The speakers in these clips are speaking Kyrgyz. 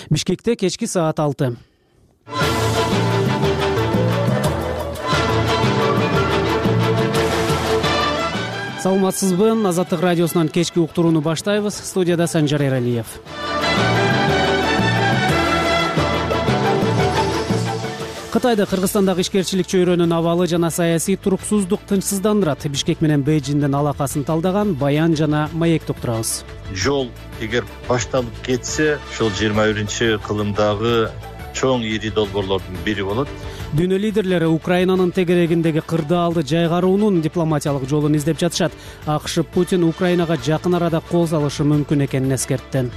Бишкекте кечки саат 6. Саламатсызбы? Азаттык радиосунан кечки уктурууну баштайбыз. Студияда Санжар Эралиев. Кытайда Кыргызстандагы ишкерчилик чөйрөнүн абалы жана саясий туруксуздук тынчсыздандырат. Бишкек менен Бейжиңдин алакасын талдаган Баян жана Маекти уктурабыз. Жол эгер башталып кетсе, ушул 21-кылымдагы чоң ири долбоорлордун бири болот. Дүйнө лидерлери Украинанын тегерегиндеги кырдаалды жайгаруунун дипломатиялык жолун издеп жатышат. АКШ Путин Украинага жакын арада кол салышы мүмкүн экенин эскертти.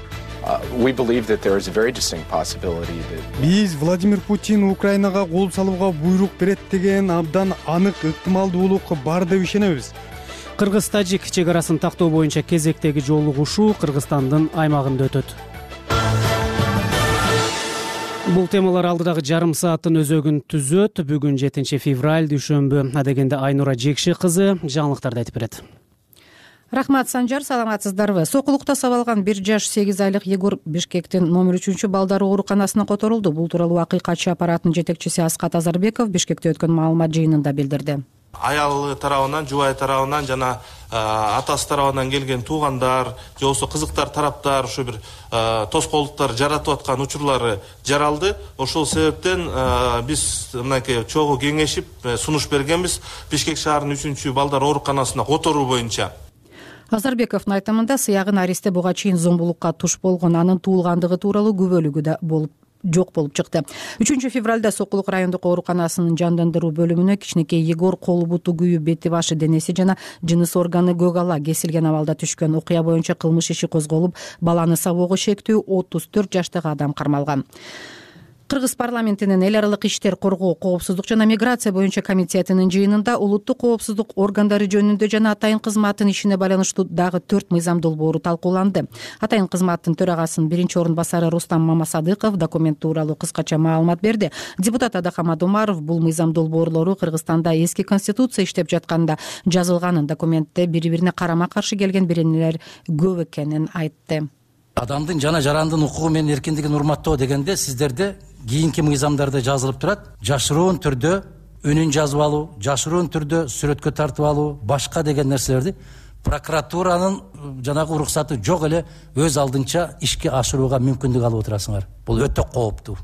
Биз Владимир Путин Украинага кол салууга буйрук берет деген абдан анык ыктымалдуулук бар деп ишенебиз. Кыргыз-тажик чегарасын тактоо боюнча кезектеги жолугушуу Кыргызстандын аймагында өтөт. Бул темалар алдыдагы жарым сааттын өзөгүн түзөт. Бүгүн 7 февраль дүйшөмбү. Адегенде Айнура Жекши кызы жаңылыктарды айтып берет. Рахмат, Санжар, саламатсыздарбы? Сокулукта сабалган 1 жаш 8 айлык Егор Бишкектин номер 3 балдар ооруканасына которулду. Бул тууралуу акыйкатчы аппараттын жетекчиси Аскат Азарбеков Бишкекте өткөн маалымат жыйынында билдирди. Аялы тарабынан, жубай тарабынан жана атасы тарабынан келген туугандар, же болбосо кызыктар тараптар ушу бир тоскоолдуктар жаратып аткан учурлары жаралды. Ошол себептен биз мынакей чогуу кеңешип сунуш бергенбиз Бишкек шаарынын 3 балдар ооруканасына которуу боюнча. Азарбековдун айтымында сыягын аристе буга чейин зомбулукка туш болгон, анын туулгандыгы тууралуу күбөлүгү да жок болуп чыкты. 3 февралда Сокулук райондук ооруканасынын жандандыруу бөлүмүнө кичинекей Егор колу буту күйүп, бети башы денеси жана жыныс органы көгала кесилген абалда түшкөн. Окуя боюнча кылмыш иши козголуп, баланы сабоого шектүү 34 жаштагы адам кармалган. Кыргыз парламентинин эл аралык иштер, коргоо, коопсуздук жана миграция боюнча комитетинин жыйынында улуттук коопсуздук органдары жөнүндө жана атайын кызматтын ишине байланыштуу дагы 4 мыйзам долбоору талкууланды. Атайын кызматтын төрагасынын 1-орун басары Рустам Мамасадыков документ тууралуу кыскача маалымат берди. Депутат Адахамат Умаров бул мыйзам долбоорлору Кыргызстанда эски конституция иштеп жатканда жазылганын, документте бири-бирине карама-каршы келген беренелер көп экенин айтты. Адамдын жана жарандын укугу менен эркиндигин урматтоо дегенде сиздерде кийинки мыйзамдарда жазылып турат. Жашыруун түрдө үнүн жазып алуу, жашыруун түрдө сүрөткө тартып алуу, башка деген нерселерди прокуратуранын жанагы уруксаты жок эле өз алдынча ишке ашырууга мүмкүндүк алып отурасыңар. Бул өтө кооптуу.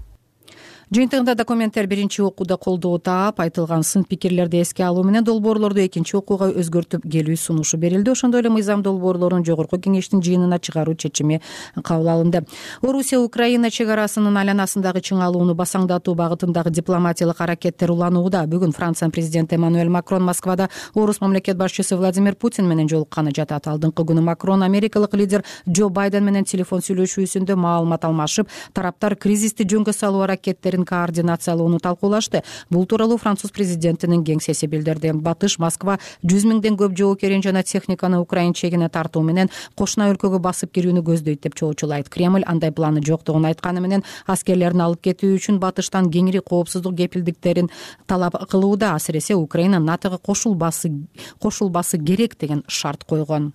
Жыйынтыгында документтер 1 окууда колдоо таап, айтылган сын пикирлерди эске алуу менен долбоорлорду 2 окууга өзгөртүп келүү сунушу берилди. Ошондой эле мыйзам долбоорлорун жогорку кеңештин жыйынына чыгаруу чечими кабыл алынды. Орусия Украина чегарасынын айланасындагы чыңалууну басаңдатуу багытындагы дипломатиялык аракеттер уланууда. Бүгүн Франция президенти Эммануэль Макрон Москвада орус мамлекет башчысы Владимир Путин менен жолукканы жатат. Алдыңкы күнү Макрон америкалык лидер Джо Байден менен телефон сүйлөшүүсүндө маалымат алмашып, тараптар кризисти жөнгө салуу аракеттерин координациялоону талкуулашты. Бул тууралуу француз президентинин кеңсеси билдирди. Батыш Москва 100 миңден көп жоокерин жана техниканы Украина чегине тартуу менен кошуна өлкөгө басып кирүүнү көздөйт деп чоочулайт. Кремль андай планы жоктугун айтканы менен аскерлерин алып кетүү үчүн Батыштан кеңири коопсуздук кепилдиктерин талап кылууда. Асыресе Украина НАТОго кошулбасы керек деген шарт койгон.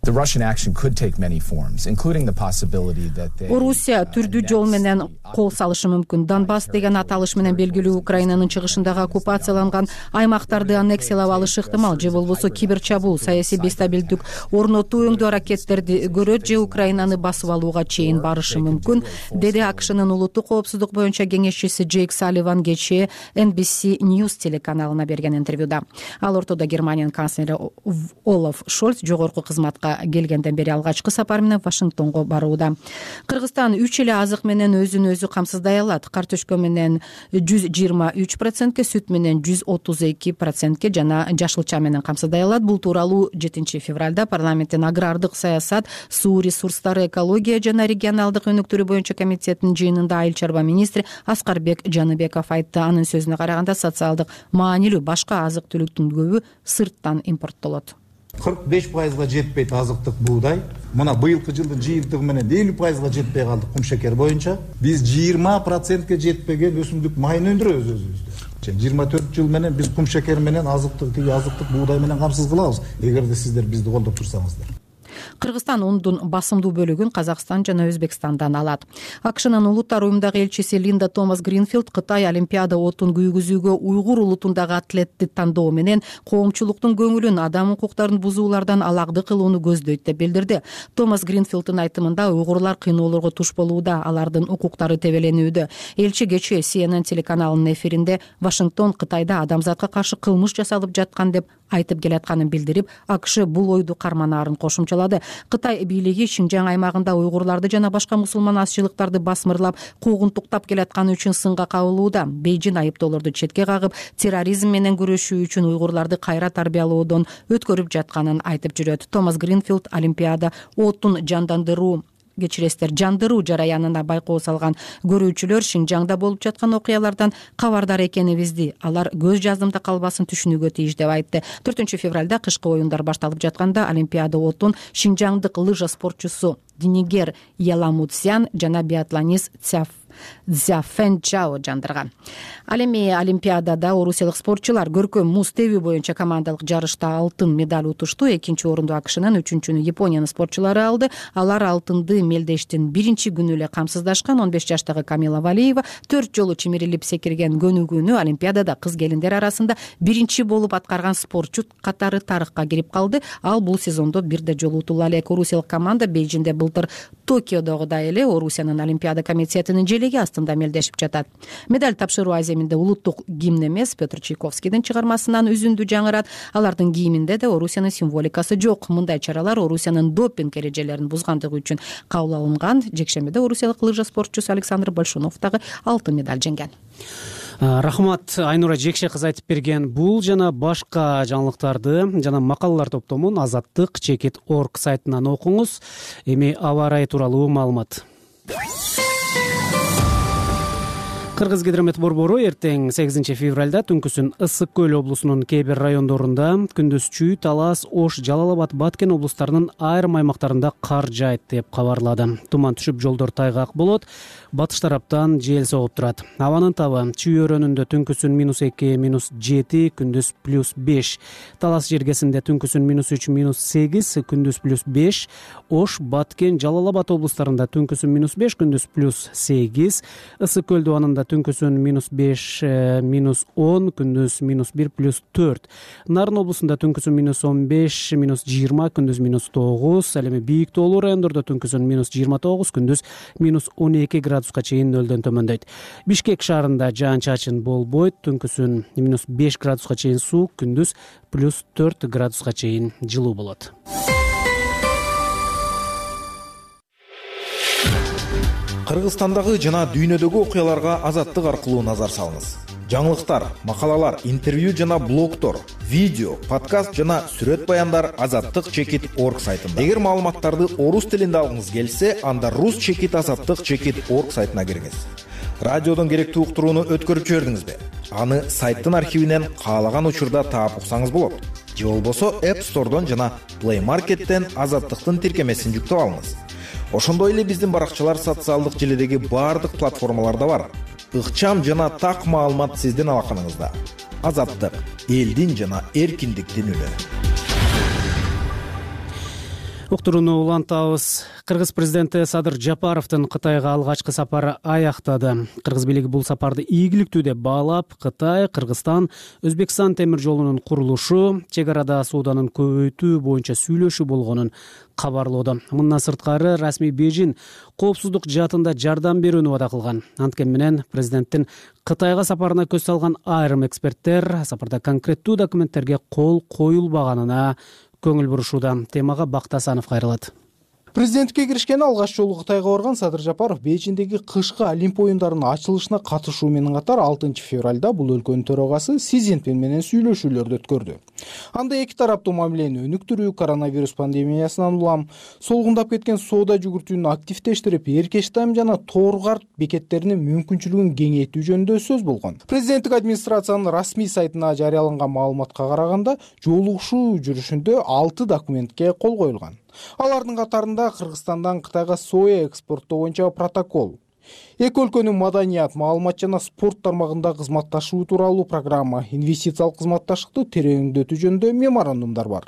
Орусия түрдүү жол менен кол салышы мүмкүн. Донбасс деген аталыш менен белгилүү Украинанын чыгышындагы оккупацияланган аймактарды аннексиялап алышы ыктымал, же болбосо киберчабуул, саясий бестабилдик орнотуу өңдүү аракеттерди көрөт, же Украинаны басып алууга чейин барышы мүмкүн, деди АКШнын улуттук коопсуздук боюнча кеңешчиси Джейк Салливан кечээ NBC News телеканалына берген интервьюда. Ал ортодо Германиянын канцлери Олаф Шольц жогорку кызматка келгенден бери алгачкы сапар менен Вашингтонго барууда. Кыргызстан 3 эле азык менен өзүн өзү камсыздай алат. Картөшкө менен 123%, сүт менен 132% жана жашылча менен камсыздай алат. Бул тууралуу 7 февралда парламенттин агрардык саясат, суу ресурстары, экология жана регионалдык өнүктүрүү боюнча комитетинин жыйынында айыл чарба министри Аскарбек Жаныбеков айтты. Анын сөзүнө караганда социалдык маанилүү башка азык түлүктүн көбү сырттан импорттолот. 45%га жетпейт азыктык буудай. Мына быйылкы жылдын жыйынтыгы менен 50%га жетпей калдык кумшекер боюнча. Биз 20%га жетпеген өсүмдүк майын өндүрөбүз өзүбүздө. 24 жыл менен биз кумшекер менен азыктык буудай менен камсыз кылабыз, эгерде сиздер бизди колдоп турсаңыздар. Кыргызстан ундун басымдуу бөлүгүн Казакстан жана Өзбекстандан алат. АКШнын улуттар уюмундагы элчиси Линда Томас Гринфилд Кытай Олимпиада отун күйгүзүүгө уйгур улутундагы атлетти тандоо менен коомчулуктун көңүлүн адам укуктарын бузуулардан алагды кылууну көздөйт деп билдирди. Томас Гринфилддин айтымында уйгурлар кыйноолорго туш болууда, алардын укуктары тебеленүүдө. Элчи кечээ CNN телеканалынын эфиринде Вашингтон Кытайда адамзатка каршы кылмыш жасалып жаткан деп айтып келатканын билдирип, АКШ бул ойду карманаарын кошумчалады. Кытай бийлиги Шинжаң аймагында уйгурларды жана башка мусулман азчылыктарды басмырлап, куугунтуктап келатканы үчүн сынга кабылууда. Бейжин айыптоолорду четке кагып, терроризм менен күрөшүү үчүн уйгурларды кайра тарбиялоодон өткөрүп жатканын айтып жүрөт. Томас Гринфилд Олимпиада отун жандыруу жараянына байкоо салган көрүүчүлөр Шинжаңда болуп жаткан окуялардан кабардар экенибизди, алар көз жаздымда калбасын түшүнүүгө тийиш деп айтты. 4 февралда кышкы оюндар башталып жатканда Олимпиада отун шинжаңдык лыжа спортчусу Динигер Яламутсян жана биатлонист Цзяфэн Чао жандырган. Ал эми Олимпиадада орусиялык спортчулар көркөм муз тебүү боюнча командалык жарышта алтын медаль утушту. 2-орунду АКШнын, 3-үнчүнү Япониянын спортчулары алды. Алар алтынды мелдештин 1-күнү эле камсыздашкан 15 жаштагы Камила Валиева 4 жолу чимирилип секирген көнүгүүнү Олимпиадада кыз келиндер арасында 1 болуп аткарган спортчу катары тарыхка кирип калды. Ал бул сезондо бир да жолу утула элек. Орусиялык команда Бейжиңде былтыр Токиодогудай эле Орусиянын Олимпиада комитетинин желеги астында мелдешип жатат. Медаль тапшыруу аземинде улуттук гимн эмес, Петр Чайковскийдин чыгармасынан үзүндү жаңырат. Алардын гимнинде да Орусиянын символикасы жок. Мындай чаралар Орусиянын допинг эрежелерин бузгандыгы үчүн кабыл алынган. Жекшембиде орусиялык лыжа спортчусу Александр Большунов дагы алтын медаль жеңген. Рахмат, Айнура Жекше кыз айтып берген бул жана башка жаңылыктарды жана макалалар топтомун azattik.org сайтынан окуңуз. Эми аба ырайы тууралуу маалымат. Кыргыз-Гидромет борбору эртең 8 февралда түнкүсүн Ысык көл облусунун кээ бир райондорунда, күндүз Чүй, Талас, Ош, Жалал Абад, Баткен облустарынын айрым аймактарында кар жаайт деп кабарлады. Туман түшүп, жолдор тайгак болот. Батыш тараптан жел согуп турат. Абанын табы Чүй өрөөнүндө түнкүсүн -2, -7, күндүз +5. Талас жергесинде түнкүсүн -3, -8, күндүз +5. Ош, Баткен, Жалал Абад облустарында түнкүсүн -5, күндүз +8. Ысык көл дубанында түнкүсүн -5, -10, күндүз -1, +4. Нарын облусунда түнкүсүн -15, -20, күндүз -9. Ал эми бийик тоолуу райондордо түнкүсүн -29, күндүз -12 градуска чейин нөлдөн төмөндөйт. Бишкек шаарында жаан-чачын болбойт, түнкүсүн -5 градуска чейин суук, күндүз +4 градуска чейин жылуу болот. Кыргызстандагы жана дүйнөдөгү окуяларга Азаттык аркылуу назар салыңыз. Жаңылыктар, макалалар, интервью жана блогтор, видео, подкаст жана сүрөт баяндар azattik.org сайтында. Эгер маалыматтарды орус тилинде алгыңыз келсе, анда rus.azattik.org сайтына кириңиз. Радиодон керектүү уктурууну өткөрүп жибердиңизби? Аны сайттын архивинен каалаган учурда таап уксаңыз болот. Же болбосо App Store'дон жана Play Market'тен Азаттыктын тиркемесин жүктөп алыңыз. Ошондой эле биздин баракчалар социалдык желедеги баардык платформаларда бар. Ыкчам жана так маалымат сиздин алаканыңызда. Азаттык — элдин жана эркиндиктин үнү. Уктурууну улантабыз. Кыргыз президенти Садыр Жапаровдун Кытайга алгачкы сапары аяктады. Кыргыз бийлиги бул сапарды ийгиликтүү деп баалап, Кытай, Кыргызстан, Өзбекстан темир жолунун курулушу, чек арада сооданын көбөйтүү боюнча сүйлөшүү болгонун кабарлоодо. Мындан сырткары расмий Бейжин коопсуздук жаатында жардам берүүнү вада кылган. Анткени менен президенттин Кытайга сапарына көз салган айрым эксперттер сапарда конкреттүү документтерге кол коюлбаганына көңүл бурушууда. Темага Бактасанов кайрылат. Президенттикке киришкени алгач жолу Кытайга барган Садыр Жапаров Бейжиңдеги кышкы Олимп оюндарынын ачылышына катышуу менен катар 6 февралда бул өлкөнүн төрагасы Си Цзиньпин менен сүйлөшүүлөрдү өткөрдү. Анда эки тараптуу мамилени өнүктүрүү, коронавирус пандемиясынан улам солгундап кеткен соода жүгүртүүнү активдештирип, Эркештам жана Торгарт бекеттеринин мүмкүнчүлүгүн кеңейтүү жөнүндө сөз болгон. Президенттик администрациянын расмий сайтына жарыяланган маалыматка караганда, жолугушуу жүрүшүндө 6 документке кол коюлган. Алардын катарында Кыргызстандан Кытайга соя экспорттоо боюнча протокол, эки өлкөнүн маданият, маалымат жана спорт тармагында кызматташуу тууралуу программа, инвестициялык кызматташтыкты тереңдетүү жөнүндө меморандумдар бар.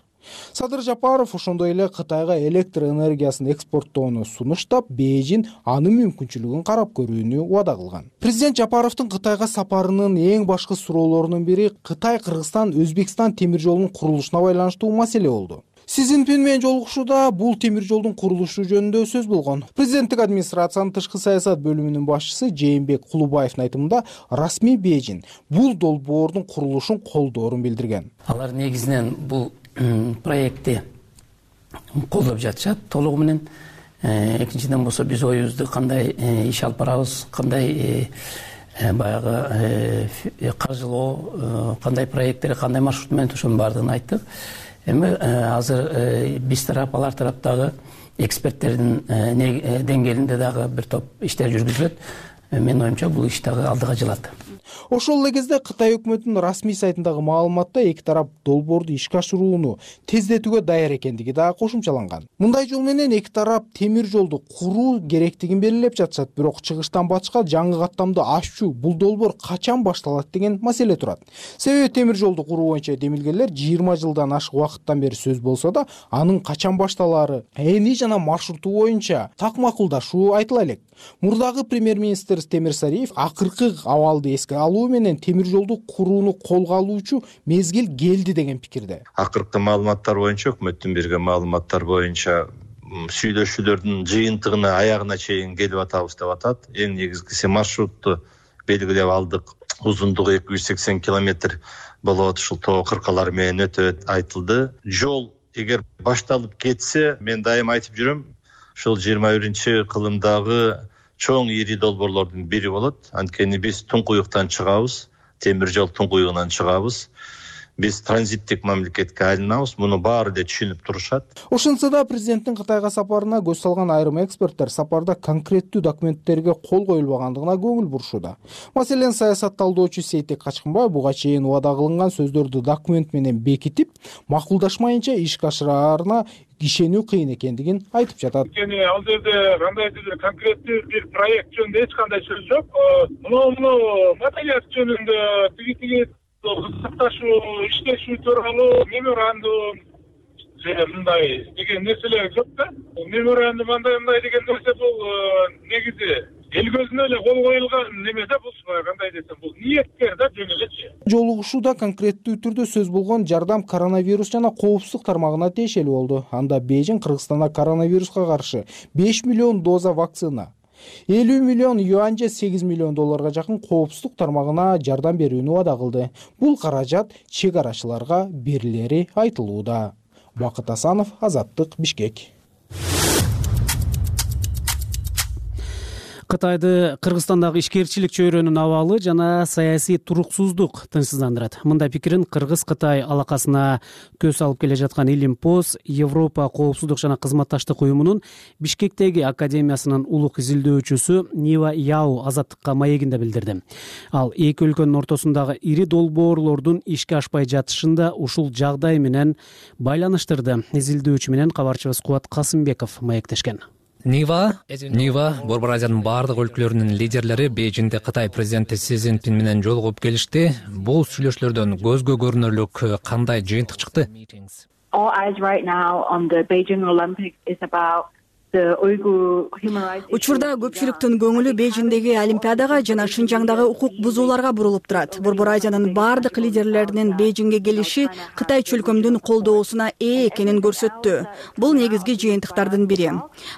Садыр Жапаров ошондой эле Кытайга электр энергиясын экспорттоону сунуштап, Бейжин анын мүмкүнчүлүгүн карап көрүүнү убада кылган. Президент Жапаровдун Кытайга сапарынын эң башкы суроолорунун бири Кытай, Кыргызстан, Өзбекстан темир жолунун курулушуна байланыштуу маселе болду. Си Цзиньпин менен жолугушууда бул темир жолдун курулушу жөнүндө сөз болгон. Президенттик администрациянын тышкы саясат бөлүмүнүн башчысы Жээнбек Кулубаевдин айтымында, расмий Бейжин бул долбоордун курулушун колдоорун билдирген. Алар негизинен бул проектти колдоп жатышат толугу менен. Экинчиден болсо биз оюбузду кандай иш алып барабыз, кандай баягы каржылоо, кандай проекттер, кандай маршрут менен ошонун баардыгын айттык. Эми азыр биз тарап, алар тараптагы эксперттердин деңгээлинде дагы бир топ иштер жүргүзүлөт. Менин оюмча бул иш дагы алдыга жылат. Ошол эле кезде Кытай өкмөтүнүн расмий сайтындагы маалыматта эки тарап долбоорду ишке ашырууну тездетүүгө даяр экендиги дагы кошумчаланган. Мындай жол менен эки тарап темир жолду куруу керектигин белгилеп жатышат, бирок чыгыштан батышка жаңы каттамды ачуу бул долбоор качан башталат деген маселе турат. Себеби темир жолду куруу боюнча демилгелер 20 жылдан ашык убакыттан бери сөз болсо да, анын качан башталаары, эни жана маршруту боюнча так макулдашуу айтыла элек. Мурдагы премьер-министр Темир Сариев акыркы абалды эске алуу менен темир жолду курууну колго алуучу мезгил келди деген пикирде. Акыркы маалыматтар боюнча, өкмөттүн берген маалыматтар боюнча сүйлөшүүлөрдүн жыйынтыгына аягына чейин келип атабыз деп атат. Эң негизгиси маршрутту белгилеп алдык. Узундугу 280 километр болот, ушул тоо кыркалар менен өтөт айтылды. Жол эгер башталып кетсе, мен дайым айтып жүрөм, ушул 21-кылымдагы чоң ири долбоорлордун бири болот. Анткени биз Туңкуюктан чыгабыз, темир жол Туңкуюгунан чыгабыз. Биз транзиттик мамлекетке айланабыз, муну баары да түшүнүп турушат. Ошентсе да президенттин Кытайга сапарына көз салган айрым эксперттер сапарда конкреттүү документтерге кол коюлбагандыгына көңүл бурушууда. Маселен, саясат талдоочу Сейтек Качкынбаев буга чейин убада кылынган сөздөрдү документ менен бекитип, макулдашмайынча ишке ашыраарына ишенүү кыйын экендигин айтып жатат. Анткени ал жерде кандайдыр конкреттүү бир проект жөнүндө эч кандай сөз жок. Муну материал жөнүндө тиги кызыкташуу, иштешүү тууралуу меморандум мындай деген нерселер жок да. Меморандум андай деген нерсе бул негизи эл көзүнө эле кол коюлган немесе бул кандай десем, бул ниеткер да жөн элечи. Жолугушууда конкреттүү түрдө сөз болгон жардам коронавирус жана коопсуздук тармагына тиешелүү болду. Анда Бейжин Кыргызстанда коронавируска каршы 5 миллион доза вакцина, 50 миллион юань же 8 миллион долларга жакын коопсуздук тармагына жардам берүүнү убада кылды. Бул каражат чек арачыларга берилери айтылууда. Бакыт Асанов, Азаттык, Бишкек. Кытайды Кыргызстандагы ишкерчилик чөйрөнүн абалы жана саясий туруксуздук тынчсыздандырат. Мындай пикирин Кыргыз-Кытай алакасына көз алып келе жаткан Илимпоз Европа коопсуздук жана кызматташтык уюмунун Бишкектеги академиясынын улук изилдөөчүсү Нива Яу Азаттыкка маегинде билдирди. Ал эки өлкөнүн ортосундагы ири долбоорлордун ишке ашпай жатышында ушул жагдай менен байланыштырды. Изилдөөчү менен кабарчыбыз Кубат Касымбеков маектешкен. Нива Борбор Азиянын бардык өлкөлөрүнүн лидерлери Бейжиңде Кытай президенти Си Цзиньпин менен жолугуп келишти. Бул сүйлөшүүлөрдөн көзгө көрүнөрлүк кандай жыйынтык чыкты? Учурда көпчүлүктүн көңүлү Бейжиңдеги Олимпиадага жана Шинжаңдагы укук бузууларга бурулуп турат. Борбор Азиянын бардык лидерлеринин Бейжиңге келиши Кытай чөлкөмдүн колдоосуна ээ экенин көрсөттү. Бул негизги жыйынтыктардын бири.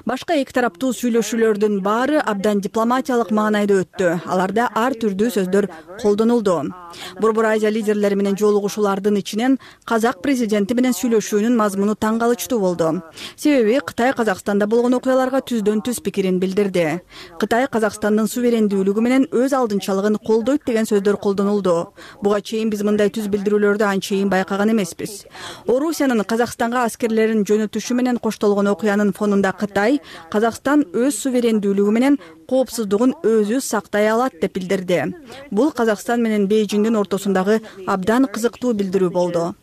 Башка эки тараптуу сүйлөшүүлөрдүн баары абдан дипломатиялык маанайда өттү. Аларда ар түрдүү сөздөр колдонулду. Борбор Азия лидерлери менен жолугушуулардын ичинен Казак президенти менен сүйлөшүүнүн мазмуну таң калычтуу болду. Себеби Кытай Казакстанда болгон окуяларга түздөн түз пикирин билдирди. Кытай Казакстандын суверендүүлүгү менен өз алдынчалыгын колдойт деген сөздөр колдонулду. Буга чейин биз мындай түз билдирүүлөрдү анчейин байкаган эмеспиз. Орусиянын Казакстанга аскерлерин жөнөтүшү менен коштолгон окуянын фонунда Кытай Казакстан өз суверендүүлүгү менен коопсуздугун өзү сактай алат деп билдирди. Бул Казакстан менен Бейжиңдин ортосундагы абдан кызыктуу билдирүү болду.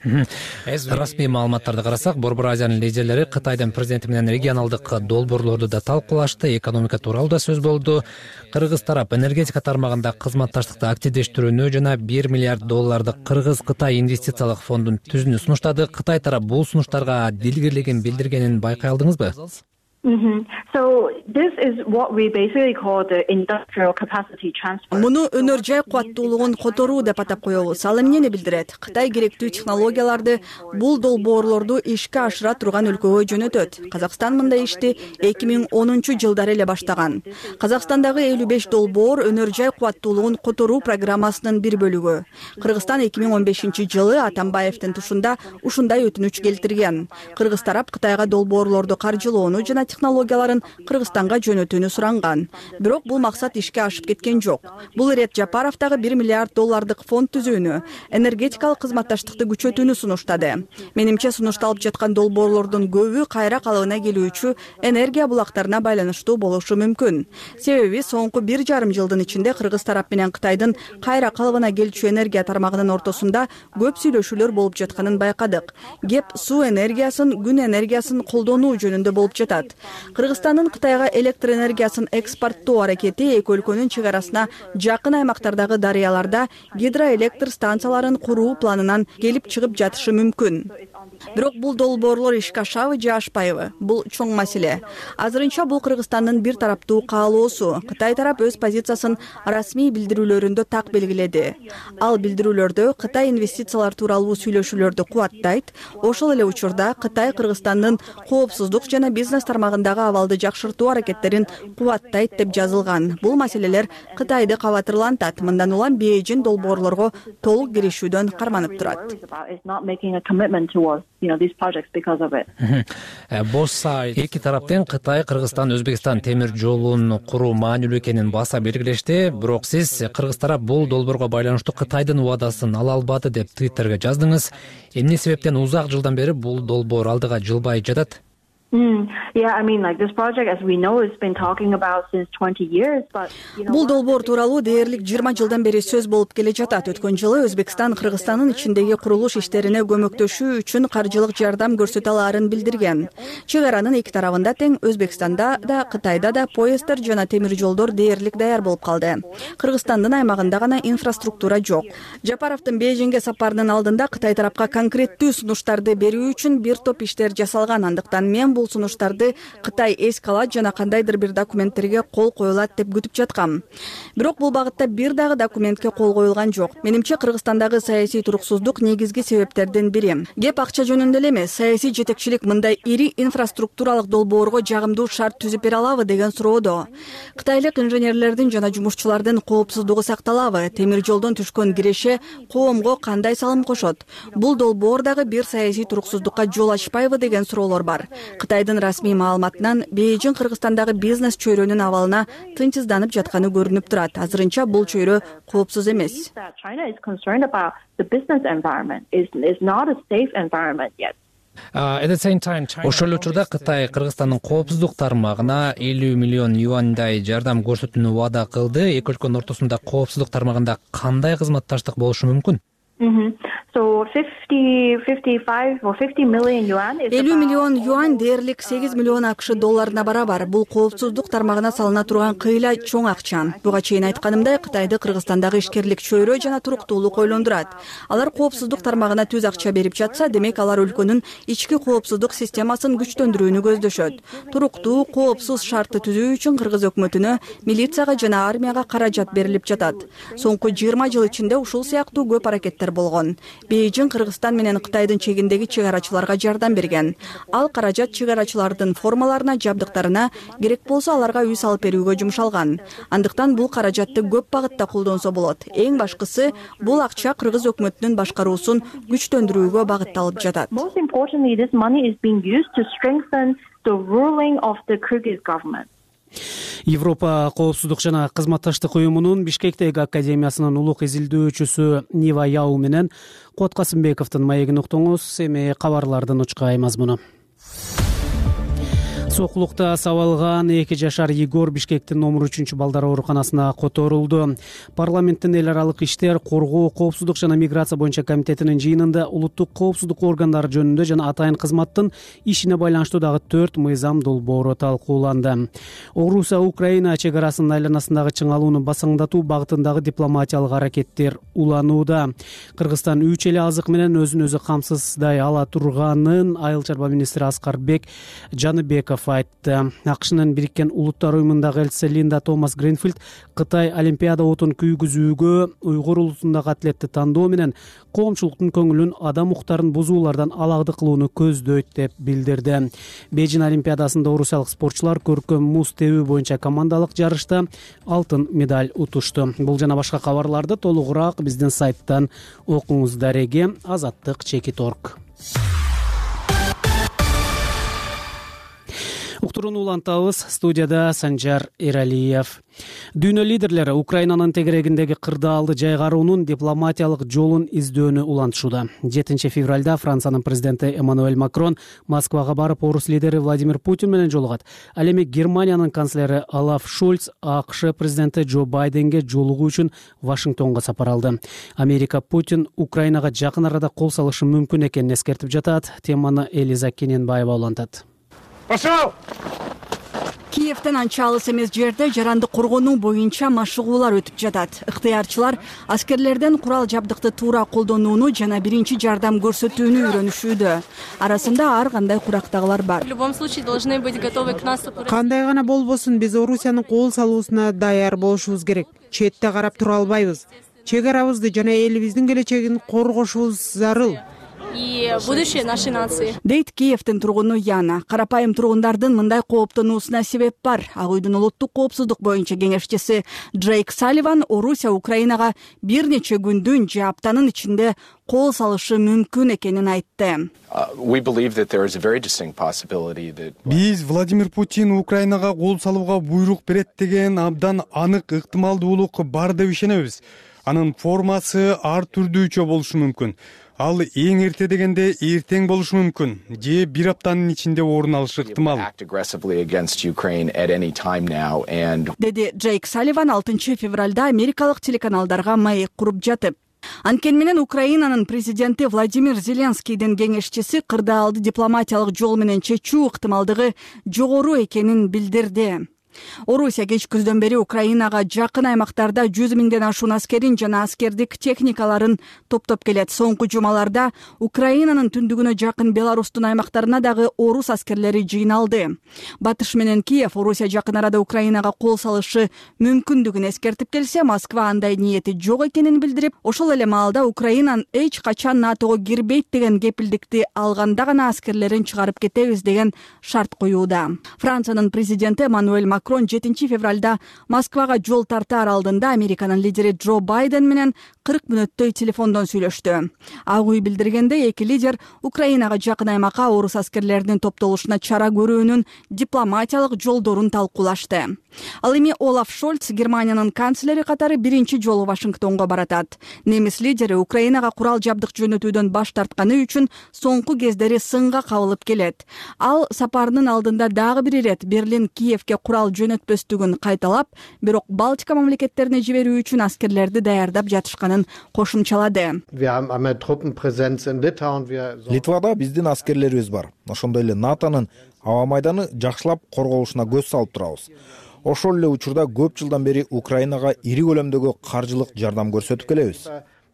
Расмий маалыматтарды карасак, Борбор Азиянын лидерлери Кытайдын президенти менен регионалдык долбоорлорду да талкуулашты, экономика тууралуу да сөз болду. Кыргыз тарап энергетика тармагында кызматташтыкты активдештирүүнү жана $1 миллиард Кыргыз-Кытай инвестициялык фондун түзүүнү сунуштады. Кытай тарап бул сунуштарга дилгирлигин билдиргенин байкай алдыңызбы? Муну өнөр жай кубаттуулугун которуу деп атап коебуз. Ал эмнени билдирет? Кытай керектүү технологияларды, бул долбоорлорду ишке ашыра турган өлкөгө жөнөтөт. Казакстан мындай ишти 2010-жылдары эле баштаган. Казакстандагы 55 долбоор өнөр жай кубаттуулугун которуу программасынын бир бөлүгү. Кыргызстан 2015-жылы Атамбаевдин тушунда ушундай өтүнүч келтирген. Кыргыз тарап Кытайга долбоорлорду каржылоону жана технологияларын Кыргызстанга жөнөтүүнү суранган. Бирок бул максат ишке ашып кеткен жок. Бул ирет Жапаров дагы $1 миллиард фонд түзүүнү, энергетикалык кызматташтыкты күчөтүүнү сунуштады. Менимче сунушталып жаткан долбоорлордун көбү кайра калыбына келүүчү энергия булактарына байланыштуу болушу мүмкүн. Себеби соңку 1,5 жылдын ичинде Кыргыз тарап менен Кытайдын кайра калыбына келчү энергия тармагынын ортосунда көп сүйлөшүүлөр болуп жатканын байкадык. Кеп суу энергиясын, күн энергиясын колдонуу жөнүндө болуп жатат. Кыргызстандын Кытайга электр энергиясын экспорттоо аракети эки өлкөнүн чек арасына жакын аймактардагы дарыяларда гидроэлектр станцияларын куруу планынан келип чыгып жатышы мүмкүн. Бирок бул долбоорлор ишке ашабы же ашпайбы? Бул чоң маселе. Азырынча бул Кыргызстандын бир тараптуу каалоосу. Кытай тарап өз позициясын расмий билдирүүлөрүндө так белгиледи. Ал билдирүүлөрдө Кытай инвестициялар тууралуу сүйлөшүүлөрдү кубаттайт. Ошол эле учурда Кытай Кыргызстандын коопсуздук жана бизнес тармагындагы абалды жакшыртуу аракеттерин кубаттайт деп жазылган. Бул маселелер Кытайды кабатырлантат. Мындан улам Бейжин долбоорлорго толук киришүүдөн карманып турат. Эки тараптын Кытай, Кыргызстан, Өзбекстан темир жолун куруу маанилүү экенин баса белгилешти. Бирок сиз Кыргыз тарап бул долбоорго байланыштуу Кытайдын убадасын ала албады деп Twitterге жаздыңыз. Эмне себептен узак жылдан бери бул долбоор алдыга жылбай жатат? Бул долбоор тууралуу дээрлик 20 жылдан бери сөз болуп келе жатат. Өткөн жылы Өзбекстан Кыргызстандын ичиндеги курулуш иштерине көмөктөшүү үчүн каржылык жардам көрсөтө алаарын билдирген. Чек аранын эки тарабында тең Өзбекстанда да, Кытайда да поезддер жана темир жолдор дээрлик даяр болуп калды. Кыргызстандын аймагында гана инфраструктура жок. Жапаровдун Бейжиңге сапарынын алдында Кытай тарапка конкреттүү сунуштарды берүү үчүн бир топ иштер жасалган. Андыктан мен бул сунуштарды Кытай эске алат жана кандайдыр бир документтерге кол коюлат деп күтүп жаткам. Бирок бул багытта бир дагы документке кол коюлган жок. Менимче Кыргызстандагы саясий туруксуздук негизги себептердин бири. Кеп акча жөнүндө эле эмес, саясий жетекчилик мындай ири инфраструктуралык долбоорго жагымдуу шарт түзүп бере алабы деген суроодо. Кытайлык инженерлердин жана жумушчулардын коопсуздугу сакталабы? Темир жолдон түшкөн киреше коомго кандай салым кошот? Бул долбоор дагы бир саясий туруксуздукка жол ачпайбы деген суроолор бар. Кытайдын расмий маалыматынан Бейжиң Кыргызстандагы бизнес чөйрөнүн абалына тынчсызданып жатканы көрүнүп турат. Азырынча бул чөйрө коопсуз эмес. Ошол эле учурда Кытай Кыргызстандын коопсуздук тармагына $50 миллион жардам көрсөтүүнү убада кылды. Эки өлкөнүн ортосунда коопсуздук тармагында кандай кызматташтык болушу мүмкүн? 50 миллион юань дээрлик $8 миллион ақш долларына барабар. Бул коопсуздук тармагына салына турган кыйла чоң акча. Буга чейин айтканымдай, Кытайды Кыргызстандагы ишкерлик чөйрө жана туруктуулук ойлондурат. Алар коопсуздук тармагына түз акча берип жатса, демек алар өлкөнүн ички коопсуздук системасын күчтөндүрүүнү көздөшөт. Туруктуу, коопсуз шартты түзүү үчүн Кыргыз өкмөтүнө, милицияга жана армияга каражат берилип жатат. Соңку 20 жыл ичинде ушул сыяктуу көп аракеттер болгон. Бейжиң Кыргызстан менен Кытайдын чегиндеги чек арачыларга жардам берген. Ал каражат чек арачылардын формаларына, жабдыктарына, керек болсо аларга үй салып берүүгө жумшалган. Андыктан бул каражатты көп багытта колдонсо болот. Эң башкысы, бул акча Кыргыз өкмөтүнүн башкаруусун күчтөндүрүүгө багытталып жатат. Европа коопсуздук жана кызматташтык уюмунун Бишкектеги академиясынын улук изилдөөчүсү Нива Яу менен Кот Касымбековдун маегин уктуңуз. Эми кабарлардын учка мазмуну. Сокулукта сабалган 2 жашар Егор Бишкектин номер 3 балдар ооруканасына которулду. Парламенттин эл аралык иштер, коргоо, коопсуздук жана миграция боюнча комитетинин жыйынында улуттук коопсуздук органдары жөнүндө жана атайын кызматтын ишине байланыштуу дагы 4 мыйзам долбоору талкууланды. Орусия Украина чек арасынын айланасындагы чыңалууну басаңдатуу багытындагы дипломатиялык аракеттер уланууда. Кыргызстан 3 эле азык менен өзүн өзү камсыздай ала турганын Айыл чарба министри Аскарбек Жаныбеков айтты. АКШнын Бириккен Улуттар уюмундагы элчиси Линда Томас Гринфилд Кытай Олимпиада отун күйгүзүүгө уйгур улусундагы атлетти тандоо менен коомчулуктун көңүлүн адам укуктарын бузуулардан алагды кылууну көздөйт деп билдирди. Бейжин Олимпиадасында орусиялык спортчулар көркөм муз тебүү боюнча командалык жарышта алтын медаль утушту. Бул жана башка кабарларды толугураак биздин сайттан окуңуздар. Азаттык Чекит.орг. Уктурууну улантабыз. Студияда Санжар Эралиев. Дүйнө лидерлери Украинанын тегерегиндеги кырдаалды жайгаруунун дипломатиялык жолун издөөнү улантышууда. 7 февралда Франциянын президенти Эммануэль Макрон Москвага барып, орус лидери Владимир Путин менен жолугат. Ал эми Германиянын канцлери Олаф Шольц АКШ президенти Джо Байденге жолугуу үчүн Вашингтонго сапар алды. Америка Путин Украинага жакын арада кол салышы мүмкүн экенин эскертип жатат. Теманы Элиза Кененбаева улантат. Пошел! Киевден анча алыс эмес жерде жаранды коргонуу боюнча машыгуулар өтүп жатат. Ыктыярчылар аскерлерден курал жабдыкты туура колдонууну жана биринчи жардам көрсөтүүнү үйрөнүшүүдө. Арасында ар кандай курактагылар бар. В любом случае должны быть готовы к наступу. Кандай гана болбосун, биз Орусиянын кол салуусуна даяр болушубуз керек. Четте карап тура албайбыз. Чек арабызды жана элибиздин келечегин коргошубуз зарыл. И будущее нашей нации. Дейт Киевдин тургуну Яна. Карапайым тургундардын мындай кооптонуусуна себеп бар. Ак үйдүн улуттук коопсуздук боюнча кеңешчиси Джейк Салливан Орусия Украинага бир нече күндүн же аптанын ичинде кол салышы мүмкүн экенин айтты. Биз Владимир Путин Украинага кол салууга буйрук берет деген абдан анык ыктымалдуулук бар деп ишенебиз. Анын формасы ар түрдүүчө болушу мүмкүн. Ал эң эрте дегенде эртең болушу мүмкүн, же бир аптанын ичинде орун алышы ыктымал. Деди Джейк Салливан 6 февралда америкалык телеканалдарга маек куруп жатып. Анткени менен Украинанын президенти Владимир Зеленскийдин кеңешчиси кырдаалды дипломатиялык жол менен чечүү ыктымалдыгы жогору экенин билдирди. Орусия кеч күздөн бери Украинага жакын аймактарда 100 миңден ашуун аскерин жана аскердик техникаларын топтоп келет. Соңку жумаларда Украинанын түндүгүнө жакын Беларустун аймактарына дагы орус аскерлери жыйналды. Батыш менен Киев Орусия жакын арада Украинага кол салышы мүмкүндүгүн эскертип келсе, Москва андай ниети жок экенин билдирип, ошол эле маалда Украинан эч качан НАТОго кирбейт деген кепилдикти алганда гана аскерлерин чыгарып кетебиз деген шарт коюуда. Франциянын президенти Эммануэль Макрон 7 февралда Москвага жол тартаар алдында Американын лидери Джо Байден менен 40 мүнөттөй телефондон сүйлөштү. Ак үй билдиргенде эки лидер Украинага жакын аймакка орус аскерлеринин топтолушуна чара көрүүнүн дипломатиялык жолдорун талкуулашты. Ал эми Олаф Шольц Германиянын канцлери катары биринчи жолу Вашингтонго баратат. Немис лидери Украинага курал жабдык жөнөтүүдөн баш тартканы үчүн соңку кездери сынга кабылып келет. Ал сапарынын алдында дагы бир ирет Берлин Киевге курал жөнөтпөстүгүн кайталап, бирок Балтика мамлекеттерине жиберүү үчүн аскерлерди даярдап жатышканын кошумчалады. Литвада биздин аскерлерибиз бар. Ошондой эле НАТОнун аба майданы жакшылап корголушуна көз салып турабыз. Ошол эле учурда көп жылдан бери Украинага ири көлөмдөгү каржылык жардам көрсөтүп келебиз.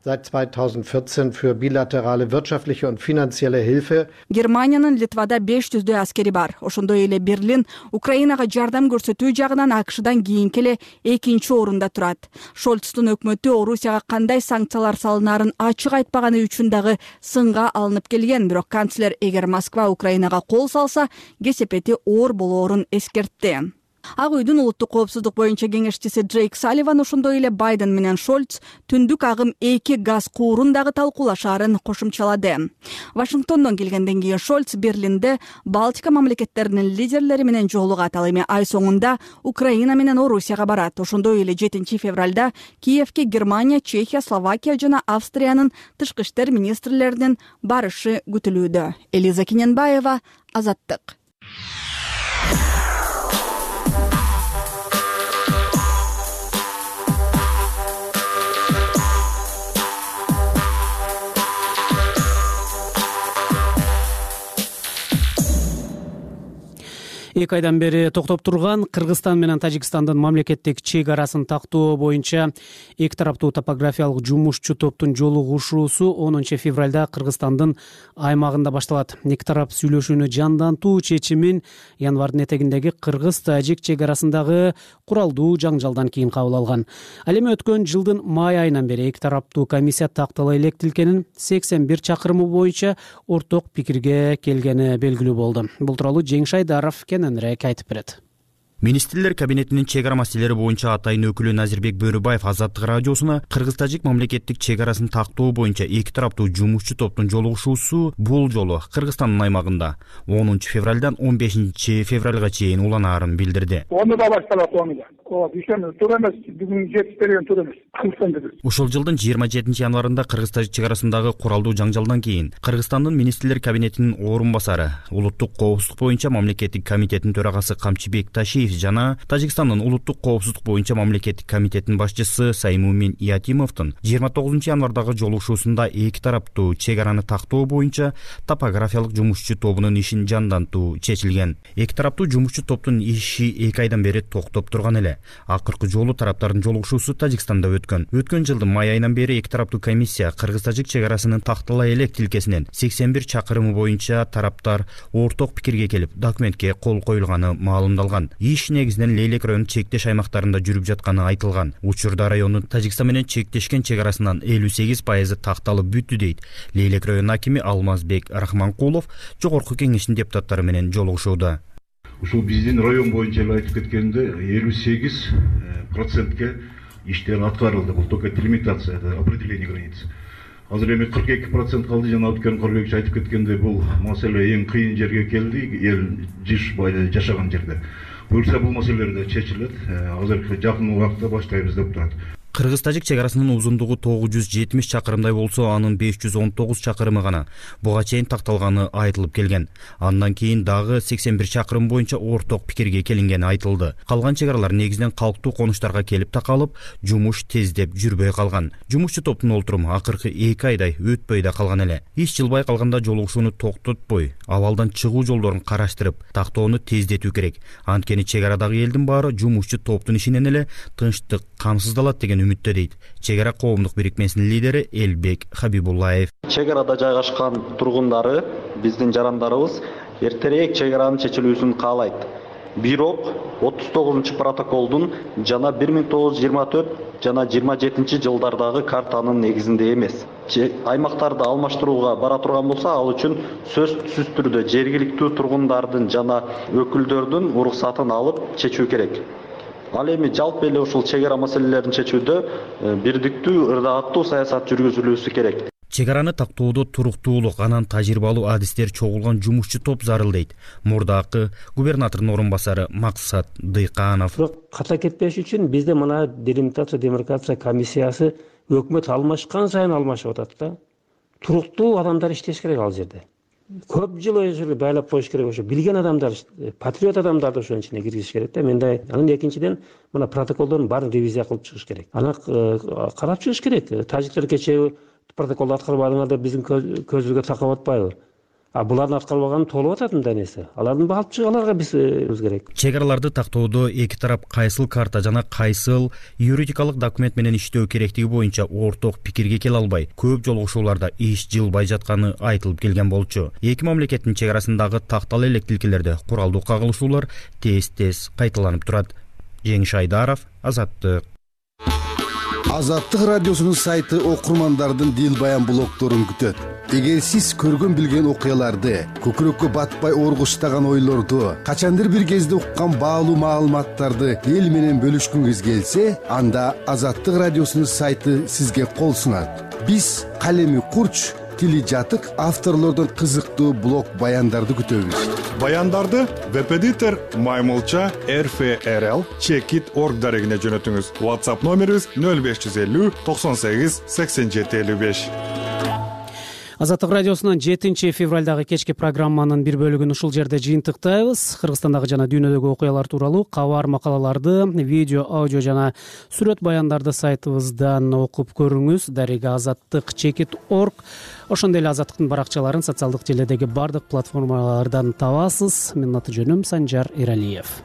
Seit 2014 für bilaterale wirtschaftliche und finanzielle Hilfe. Германиянын Литвада 500дөй аскери бар. Ошондой эле Берлин Украинага жардам көрсөтүү жагынан АКШдан кийинки эле экинчи орунда турат. Шольцтун өкмөтү Орусияга кандай санкциялар салынаарын ачык айтпаганы үчүн дагы сынга алынып келген, бирок канцлер эгер Москва Украинага кол салса, кесепети оор болоорун эскертти. Ак үйдүн улуттук коопсуздук боюнча кеңешчиси Джейк Салливан ошондой эле Байден менен Шольц түндүк агым 2 газ куурун дагы талкуулашаарын кошумчалады. Вашингтондон келгенден кийин Шольц Берлинде Балтика мамлекеттеринин лидерлери менен жолугат. Ал эми ай соңунда Украина менен Орусияга барат. Ошондой эле 7 февралда Киевге Германия, Чехия, Словакия жана Австриянын тышкы иштер министрлеринин барышы күтүлүүдө. Элиза Кененбаева, Азаттык. Эки айдан бери токтоп турган Кыргызстан менен Тажикстандын мамлекеттик чек арасын тактоо боюнча эки тараптуу топографиялык жумушчу топтун жолугушуусу 10 февралда Кыргызстандын аймагында башталат. Эки тарап сүйлөшүүнү жандантуу чечимин январдын этегиндеги Кыргыз-Тажик чек арасындагы куралдуу жаңжалдан кийин кабыл алган. Ал эми өткөн жылдын май айынан бери эки тараптуу комиссия тактала электилкенин 81 чакырымы боюнча орток пикирге келгени белгилүү болду. Бул тууралуу Жеңиш Айдаров кененирээк айтып берет. Министрлер кабинетинин чек ара маселелери боюнча атайын өкүлү Назирбек Бөрүбаев Азаттык радиосуна Кыргыз-Тажик мамлекеттик чек арасын тактоо боюнча эки тараптуу жумушчу топтун жолугушуусу бул жолу Кыргызстандын аймагында 10 февралдан 15 февралга чейин уланаарын билдирди. Оны да башталат, оны да. Дүйшөбү туура эмес, бүгүн жетип берген туура эмес. Ушул жылдын 27 январында Кыргыз-Тажик чек арасындагы куралдуу жаңжалдан кийин Кыргызстандын Министрлер кабинетинин орун басары, улуттук коопсуздук боюнча мамлекеттик комитеттин төрагасы Камчыбек Ташиев жана Тажикстандын улуттук коопсуздук боюнча мамлекеттик комитеттин башчысы Саймумин Иатимовдун 29 январдагы жолугушуусунда эки тараптуу чек араны тактоо боюнча топографиялык жумушчу тобунун ишин жандантуу чечилген. Эки тараптуу жумушчу топтун иши эки айдан бери токтоп турган эле. Акыркы жолу тараптардын жолугушуусу Тажикстанда өткөн жылдын май айынан бери эки тараптуу комиссия Кыргыз-Тажик чек арасынын тактала элек тилкесинен 81 чакырымы боюнча тараптар орток пикирге келип, документке кол коюлганы маалымдалган. Иш негизинен Лейлек районунун чектеш аймактарында жүрүп жатканы айтылган. Учурда райондун Тажикстан менен чектешкен чек арасынан 58% такталып бүттү дейт Лейлек районунун акими Алмазбек Рахманкулов жогорку кеңештин депутаттары менен жолугушууда. Ушул биздин район боюнча айтып кеткенде 58%ке иштер аткарылды. Бул только делимитация, это определение границ. Азыр эми 42% калды. Жана өткөн кыргыз айтып кеткенде бул маселе эң кыйын жерге келди, эл жиш жашаган жерде. Буюрса бул маселелер да чечилет. Азыр жакын убакытта баштайбыз деп турат. Кыргыз-Тажик чек арасынын узундугу 970 чакырымдай болсо, анын 519 чакырымы гана буга чейин такталганы айтылып келген. Андан кийин дагы 81 чакырым боюнча орток пикирге келингени айтылды. Калган чек аралар негизинен калктуу конуштарга келип такалып, жумуш тездеп жүрбөй калган. Жумушчу топтун олтуруму акыркы 2 айдай өтпөй да калган эле. Иш жылбай калганда жолугушууну токтотпой, абалдан чыгуу жолдорун караштырып, тактоону тездетүү керек. Анткени чек арадагы элдин баары жумушчу топтун ишинен эле тынчтык камсыздалат деген үмүттө дейт чек ара коомдук бирикмесинин лидери Элбек Хабибуллаев. Чек арада жайгашкан тургундары, биздин жарандарыбыз эртерээк чек аранын чечилүүсүн каалайт. Бирок 39-протоколдун жана 1924 жана 27 жылдардагы картанын негизинде эмес. Аймактарды алмаштырууга бара турган болсо, ал үчүн сөзсүз түрдө жергиликтүү тургундардын жана өкүлдөрдүн уруксатын алып чечүү керек. Ал эми жалпы эле ушул чек ара маселелерин чечүүдө бирдиктүү, ырдааттуу саясат жүргүзүлүүсү керек. Чек араны тактоодо туруктуулук, анан тажрыйбалуу адистер чогулган жумушчу топ зарыл дейт мурдакы губернатордун орун басары Максат Дыйканов. Ката кетпеш үчүн бизде мына делимитация демаркация комиссиясы өкмөт алмашкан сайын алмашып атат да. Туруктуу адамдар иштеш керек ал жерде. Көп жыл ошо байлап коюш керек, ошо билген адамдар, патриот адамдарды ошонун ичине киргизиш керек да. Менде анын экинчиден мына протоколдордун баарын ревизия кылып чыгыш керек. Аны карап чыгыш керек. Тажиктер кечээ протоколду аткарбадыңар деп биздин көзүбүзгө такап атпайбы? Булардын аткарбаганы толуп атат мындай нерсе. Алардын алып чыгаларга биз керек. Чек араларды тактоодо эки тарап кайсыл карта жана кайсыл юридикалык документ менен иштөө керектиги боюнча орток пикирге келе албай, көп жолугушууларда иш жылбай жатканы айтылып келген болчу. Эки мамлекеттин чек арасындагы тактала элек тилкелерде куралдуу кагылышуулар тез кайталанып турат. Жеңиш Айдаров, Азаттык. Азаттык радиосунун сайты окурмандардын дил баян блогдорун күтөт. Эгер сиз көргөн билген окуяларды, көкүрөккө батпай оргуштаган ойлорду, качандыр бир кезде уккан баалуу маалыматтарды эл менен бөлүшкүңүз келсе, анда Азаттык радиосунун сайты сизге кол сунат. Биз калеми курч, тили жатык авторлордон кызыктуу блог баяндарды күтөбүз. Баяндарды веб-эдитор Маймылча RFRL Checkit.org дарегине жөнөтүңүз. WhatsApp номерибиз 0550 98 87 55. Азаттык радиосунун 7 февралдагы кечки программанын бир бөлүгүн ушул жерде жыйынтыктайбыз. Кыргызстандагы жана дүйнөдөгү окуялар тууралуу кабар, макалаларды, видео, аудио жана сүрөт баяндарды сайтыбыздан окуп көрүңүз. Дарега Азаттык Чекит.org. Ошондой эле Азаттыктын баракчаларын социалдык желедеги бардык платформалардан табасыз. Менин аты жөнүм Санжар Эралиев.